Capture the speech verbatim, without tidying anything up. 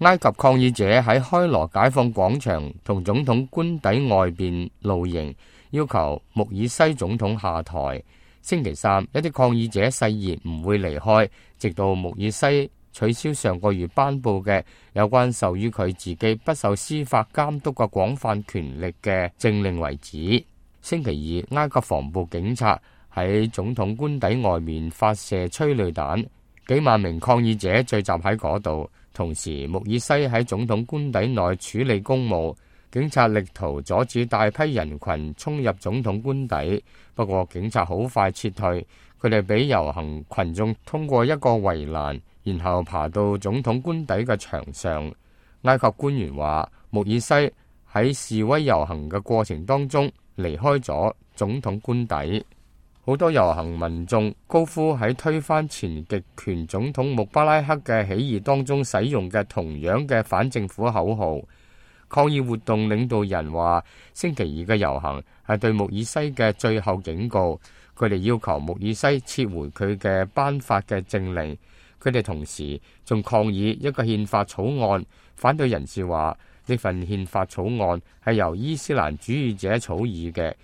埃及抗議者喺開羅解放廣場同總統官邸外邊露營，要求穆爾西總統下台。星期三，一啲抗議者誓言唔會離開，直到穆爾西取消上個月頒布嘅有關授予佢自己不受司法監督嘅廣泛權力嘅政令為止。星期二，埃及防暴警察喺總統官邸外面發射催淚彈，幾萬名抗議者聚集喺嗰度。同時，穆爾西喺總統官邸內處理公務，警察力圖阻止大批人群衝入總統官邸，不過警察好快撤退，佢哋俾遊行群眾通過一個圍欄，然後爬到總統官邸嘅牆上。埃及官員話，穆爾西喺示威遊行嘅過程當中離開咗總統官邸。好多遊行民眾高呼喺推翻前極權總統穆巴拉克嘅起義當中使用嘅同樣嘅反政府口號。抗議活動領導人話，星期二嘅遊行係對穆爾西嘅最後警告，佢哋要求穆爾西撤回佢嘅頒發嘅政令。佢哋同時仲抗議一個憲法草案。反對人士話，呢份憲法草案係由伊斯蘭主義者草擬嘅，